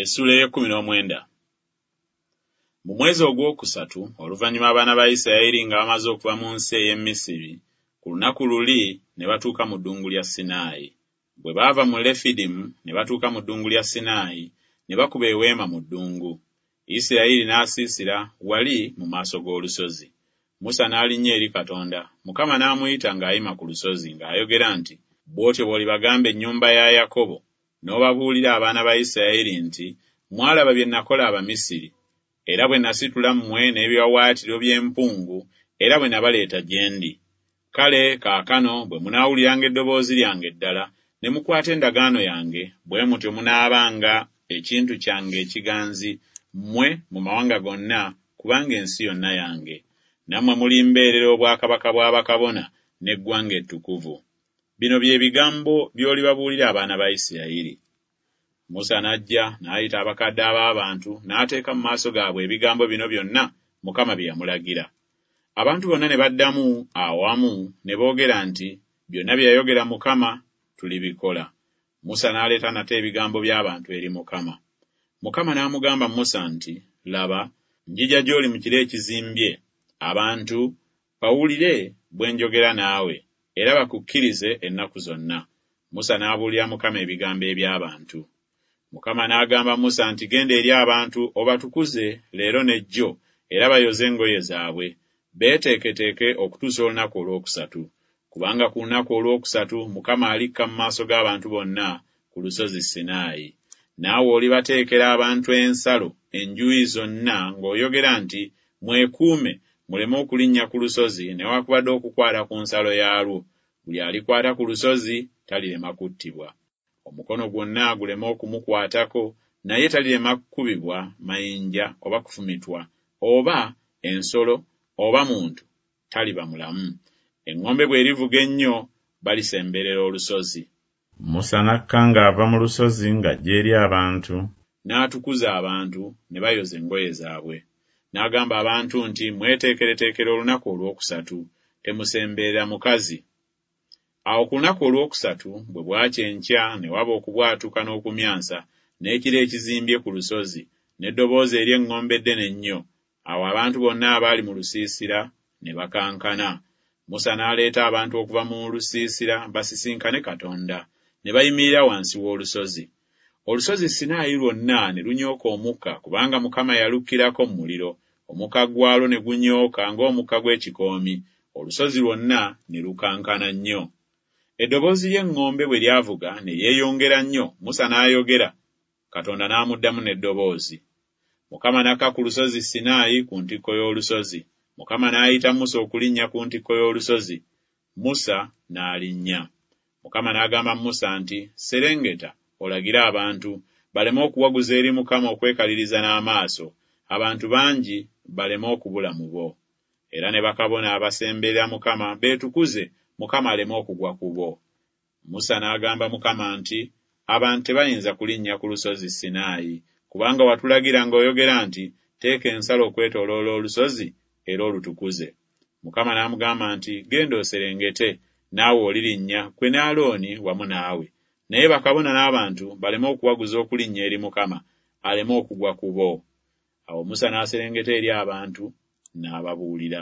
Essuula ey'ekkumi n'omwenda. Mu mwezi ogwokusatu, oluvannyuma abaana ba Isirayiri nga bamaze okuva mu nsi ey'e Misiri, ku lunaku luli ne batuuka mu ddungu lya Sinaayi. Bwe baava mu Lefidimu ne batuuka mu ddungu lya Sinaayi, ne bakuba eweema mu ddungu. Isirayiri n'asiisira wali mu maaso g'olusozi. Musa n'alinnya eri Katonda, Mukama n'amuyita ng'ayima ku lusozi ng'ayogera nti Bw'otyo bw'olibagamba ennyumba ya Yakobo, n'obabuulira abaana ba Isirayiri nti Mwalaba bye nakola Abamisiri, era bwe nasitula mmwe n'ebiwaawaatiro by'empungu, era bwe nabaleeta gye ndi. Kale kaakano bwe munaawuliranga eddoboozi lyange ddala, ne mukwata endagaano yange, bwe mutyo munaabanga ekintu kyange ekiganzi mmwe mu mawanga gonna, kubanga ensi yonna yange. Nammwe mulimbeerera obwakabaka bwa bakabona n'eggwanga ettukuvu. Bino bye bigambo by'olibabuulira abaana ba Isirayiri. Musa n'ajja n'ayita abakadde ab'abantu n'ateeka mu maaso gaabwe ebigambo bino byonna Mukama bye yamulagira. Abantu bonna ne baddamu awamu ne boogera nti Byonna bye yayogera Mukama tulibikola. Musa n'aleeta nate ebigambo by'abantu eri Mukama. Mukama n'amugamba Musa nti Laba, njija gy'oli mu kire ekizimbye, abantu bawulire bwe njogera naawe, era bakukkirize ennaku zonna. Musa n'abuulira Mukama ebigambo eby'abantu. Mukama n'agamba Musa nti Genda eri abantu obatukuze leero ne jjo, era bayoze engoye zaabwe, beeteeketeeke okutuusa olunaku olwokusatu, kubanga ku lunaku olwokusatu Mukama alikka mu maaso g'abantu bonna ku lusozi Sinaayi. Naawe olibateekera abantu ensalo enjuuyi zonna ng'oyogera nti Mwekuume muleme okulinnya ku lusozi newakubadde okukwata ku nsalo yaalwo, buli alikwata ku lusozi talirema kuttibwa. Omukono gwonna guleme okumukwatako, naye talirema kukubibwa mayinja oba kufumitwa, oba ensolo oba muntu, taliba mulamu. Eŋŋombe bw'erivuga ennyo, balisemberera olusozi. Musa n'akka ng'ava mu lusozi ng'ajja eri abantu. N'atukuza abantu, ne bayoza engoye zaabwe. N'agamba abantu nti Mweteekereteekere olunaku olwokusatu, temusemberera mukazi. Awo ku lunaku olwokusatu bwe bwakya enkya ne waba okubwatuka n'okumyansa, n'ekire ekizimbye ku lusozi, n'eddoboozi ery'eŋŋombe eddene ennyo, awo abantu bonna abaali mu lusiisira ne bakankana. Musa n'aleeta abantu okuva mu lusiisira basisinkane Katonda, ne bayimirira wansi w'olusozi. Olusozi Sinaayi lwonna ne lunyooka omukka, kubanga Mukama yalukkirako mu muliro, omukka gwalwo ne gunyooka ng'omukka gw'ekikoomi, olusozi lwonna ne lukankana nnyo. Eddoboozi ly'eŋŋombe bwe lyavuga ne lyeyongera nnyo, Musa n'ayogera, Katonda n'amuddamu n'eddoboozi. Mukama n'akka ku lusozi Sinaayi ku ntikko y'olusozi. Mukama n'ayita Musa okulinnya ku ntikko y'olusozi, Musa n'alinnya. Mukama n'agamba Musa nti Serengeta olagire abantu, baleme okuwaguza eri Mukama okwekaliriza n'amaaso, abantu bangi baleme okubula mu bo. Era ne bakabona abasemberera Mukama beetukuze, Mukama aleme okugwa ku bo. Musa n'agamba Mukama nti Abantu tebayinza kulinnya ku lusozi Sinaayi, kubanga watulagira ng'oyogera nti Teeka ensalo okwetooloola olusozi, era olutukuze. Mukama n'amugamba nti Genda oserengete, naawe olirinnya, ggwe ne Alooni wamu naawe, naye bakabona n'abantu baleme okuwaguza okulinnya eri Mukama, aleme okugwa ku bo. Awo Musa n'aserengeta eri abantu, n'ababuulira.